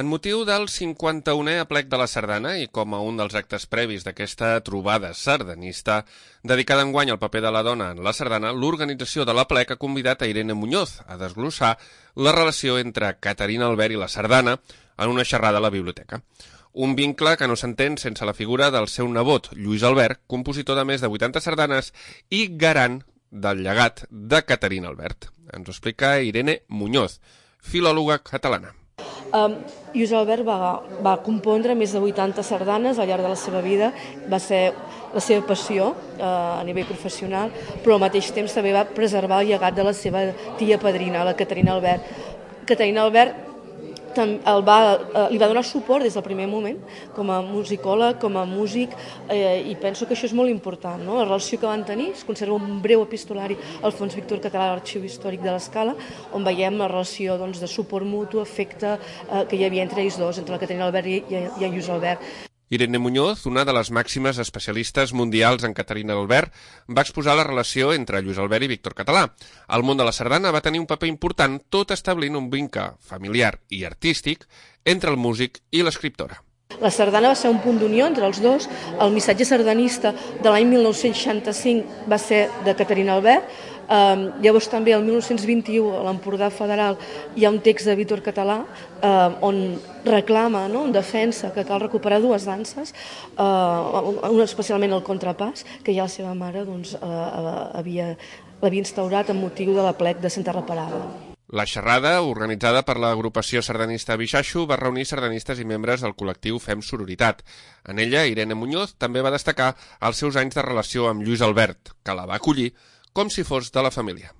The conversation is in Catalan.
En motiu del 51è aplec de la Sardana i com a un dels actes previs d'aquesta trobada sardanista, dedicada enguany al paper de la dona en la sardana, l'organització de l'aplec ha convidat a Irene Muñoz a desglossar la relació entre Caterina Albert i la sardana en una xerrada a la biblioteca. Un vincle que no s'entén sense la figura del seu nebot, Lluís Albert, compositor de més de 80 sardanes i garant del llegat de Caterina Albert. Ens ho explica Irene Muñoz, filòloga catalana. Lluís Albert va compondre més de 80 sardanes al llarg de la seva vida, va ser la seva passió a nivell professional, però al mateix temps també va preservar el llegat de la seva tia padrina, la Caterina Albert. Caterina Albert li va donar suport des del primer moment com a musicòleg, com a músic, i penso que això és molt important, no? La relació que van tenir, es conserva un breu epistolari al Fons Víctor Català de l'Arxiu Històric de l'Escala, on veiem la relació de suport mutu, afecte que hi havia entre ells dos, entre la Caterina Albert i en Lluís Albert. Irene Muñoz, una de les màximes especialistes mundials en Caterina Albert, va exposar la relació entre Lluís Albert i Víctor Català. El món de la sardana va tenir un paper important, tot establint un vincle familiar i artístic entre el músic i l'escriptora. La sardana va ser un punt d'unió entre els dos. El missatge sardanista de l'any 1965 va ser de Caterina Albert. Llavors també el 1921 a l'Empordà Federal hi ha un text de Víctor Català on reclama, en defensa, que cal recuperar dues danses, especialment el contrapàs, que ja la seva mare l'havia instaurat amb motiu de l'aplec de Santa Reparada. La xerrada, organitzada per l'agrupació sardanista Bixaixo, va reunir sardanistes i membres del col·lectiu Fem Sororitat. En ella, Irene Muñoz també va destacar els seus anys de relació amb Lluís Albert, que la va acollir com si fos de la família.